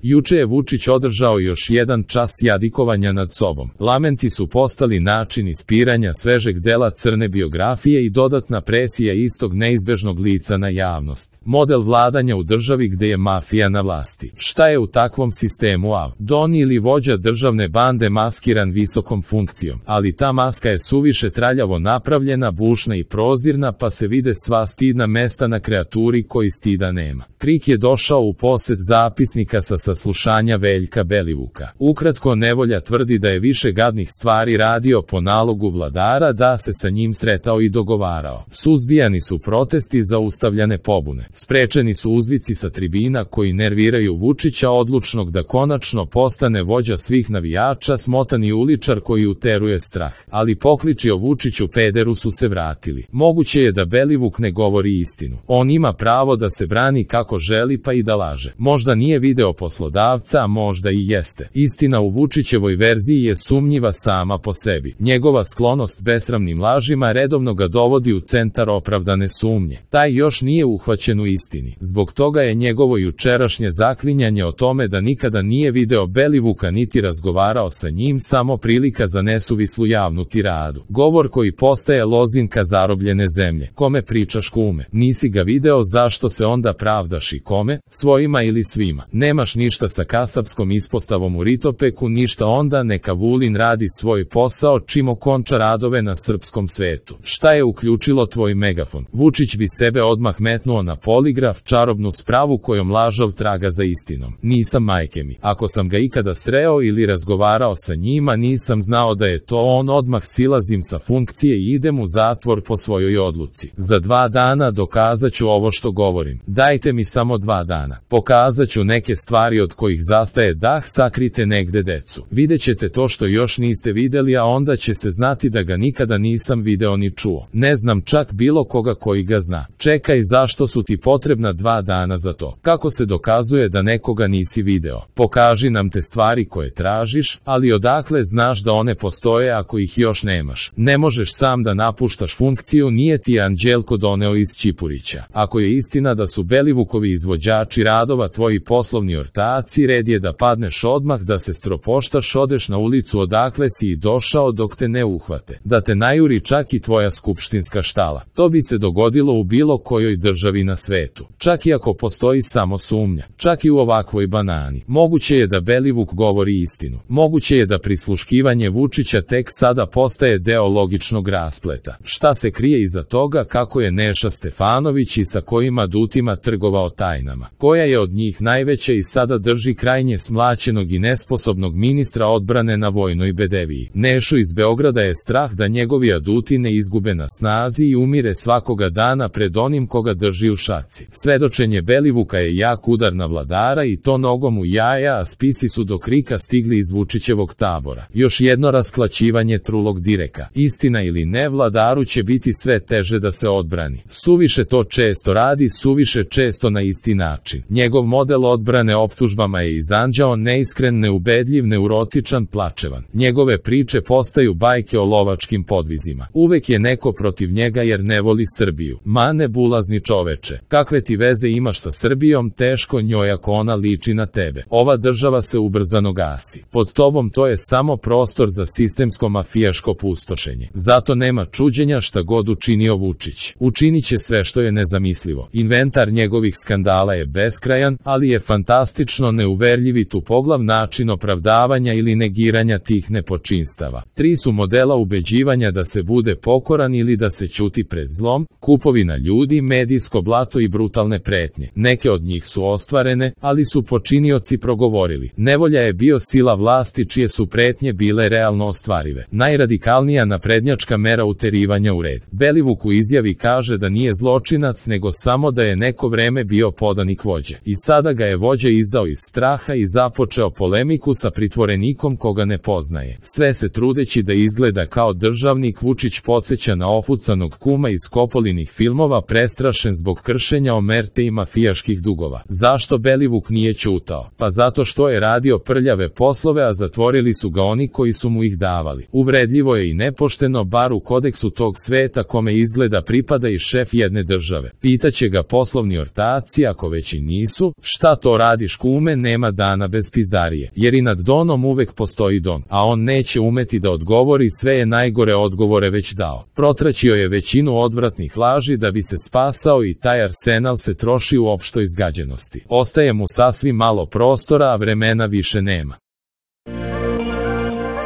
Juče je Vučić održao još jedan čas jadikovanja nad sobom. Lamenti su postali način ispiranja svežeg dela crne biografije i dodatna presija istog neizbežnog lica na javnost. Model vladanja u državi gde je mafija na vlasti. Šta je u takvom sistemu Don ili vođa državne bande maskiran visokom funkcijom, ali ta maska je suviše traljavo napravljena, bušna i prozirna, pa se vide sva stidna mesta na kreaturi koji stida nema. Krik je došao u posed zapisnika sa saslušanja Veljka Belivuka. Ukratko, Nevolja tvrdi da je više gadnih stvari radio po nalogu vladara, da se sa njim sretao i dogovarao. Suzbijani su protesti, zaustavljane pobune. Sprečeni su uzvici sa tribina koji nerviraju Vučića odlučnog da konačno postane vođa svih navijača, smotani uličar koji uteruje strah. Ali pokliči o Vučiću pederu su se vratili. Moguće je da Belivuk ne govori istinu. On ima pravo da se brani kako želi, pa i da laže. Možda nije video poslodavca, a možda i jeste. Istina u Vučićevoj verziji je sumnjiva sama po sebi. Njegova sklonost besramnim lažima redovno ga dovodi u centar opravdane sumnje. Taj još nije uhvaćen u istini. Zbog toga je njegovo jučerašnje zaklinjanje o tome da nikada nije video Belivuka niti razgovarao sa njim samo prilika za nesuvislu javnu tiradu. Govor koji postaje lozinka zarobljene zemlje. Kome pričaš, kume? Nisi ga video, zašto se onda pravdaš i kome? Svojima ili svima? Nemaš ništa sa kasapskom ispostavom u Ritopeku, ništa, onda neka Vulin radi svoj posao čim okonča radove na srpskom svetu. Šta je uključilo tvoj megafon? Vučić bi sebe odmah metnuo na poligraf, čarobnu spravu kojom lažov traga za istinom. Nisam, majke mi. Ako sam ga ikada sreo ili razgovarao sa njima, nisam znao da je to on, odmah silazim sa funkcije i idem u zatvor po svojoj odluci. Za 2 dana dokazat ću ovo što govorim. Dajte mi samo 2 dana. Pokazat ću neke stvari od kojih zastaje dah, sakrite negde decu. Vidjet ćete to što još niste videli, a onda će se znati da ga nikada nisam video ni čuo. Ne znam čak bilo koga koji ga zna. Čekaj, zašto su ti potrebna 2 dana za to? Kako se dokazuje da nekoga nisi video? Pokaži nam te stvari koje tražiš, ali odakle znaš da one postoje ako ih još nemaš? Ne možeš sam da napuštaš funkciju, nije ti Anđelko doneo iz Čipurića. Ako je istina da su Belivukovi izvođači radova tvoji poslovni ortaci, red je da padneš odmah, da se stropoštaš, odeš na ulicu odakle si i došao dok te ne uhvate. Da te najuri čak i tvoja skupštinska štala. To bi se dogodilo u bilo kojoj državi na svetu. Čak i ako postoji samo sumnja. Čak i u ovakvoj banani. Moguće je da Belivuk govori istinu. Moguće je da prisluškivanje Vučića tek sada postaje deo logičnog raspleta. Šta se krije iza toga, kako je Neša Stefanović i sa kojima adutima trgovao tajnama. Koja je od njih najveća i sada drži krajnje smlaćenog i nesposobnog ministra odbrane na vojnoj bedeviji. Nešu iz Beograda je strah da njegovi aduti ne izgube na snazi i umire svakoga dana pred onim koga drži u šaci. Svedočenje Belivuka je jak udar na vladara i to nogom u jaja, a spisi su do krika stigli iz Vučićevog tabora. Još jedno rasklaćivanje trulog direka. Istina ili ne, vladaru će biti sve teže da se odbrani. Suviše to često radi, suviše često na isti način. Njegov model odbrane optužbama je izanđao, neiskren, neubedljiv, neurotičan, plačevan. Njegove priče postaju bajke o lovačkim podvizima. Uvek je neko protiv njega jer ne voli Srbiju. Ma ne bulazni čoveče. Kakve ti veze imaš sa Srbijom, teško njoj ako ona liči na tebe. Ova država se ubrzano gasi. Pod tobom to je samo prostor za sistemsko mafijaško pustošenje. Zato nema čuđenja šta god učinio Vučić. Učinit će sve što je nezamislivo. Inventar njegovih skandala je beskrajan, ali je fantastično neuverljiv i tupoglav način opravdavanja ili negiranja tih nepočinstava. 3 su modela ubeđivanja da se bude pokoran ili da se ćuti pred zlom: kupovina ljudi, medijsko blato i brutalne pretnje. Neke od njih su ostvarene, ali su počinioci progovorili. Nevolja je bio sila vlasti čije su pretnje bile realno ostvarive. Najradikalnija naprednjačka mera uterivanja u red. Belivuk u izjavi kaže da nije zločinac, nego samo da je neko vreme bio podanik vođe. I sada ga je vođa izdao iz straha i započeo polemiku sa pritvorenikom koga ne poznaje. Sve se trudeći da izgleda kao državnik, Vučić podsjeća na ofucanog kuma iz Kopolinih filmova, prestrašen zbog kršenja omerte i mafijaških dugova. Zašto Belivuk nije ćutao? Pa zato što je radio prljave poslove, a zatvorili su ga oni koji su mu ih davali. Uvredljivo je i nepošteno, bar u kodeksu tog sveta kome izgleda pripada i šef jedne države. Pitaće ga poslovni ortaci, ako već i nisu: šta to radiš, kume? kume, nema dana bez pizdarije, jer i nad Donom uvek postoji Don, a on neće umeti da odgovori, sve je najgore odgovore već dao. Protraćio je većinu odvratnih laži da bi se spasao i taj arsenal se troši u opštoj izgađenosti. Ostaje mu sasvim malo prostora, a vremena više nema.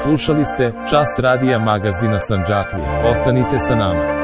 Slušali ste Čas radija magazina Sandžaklija. Ostanite sa nama.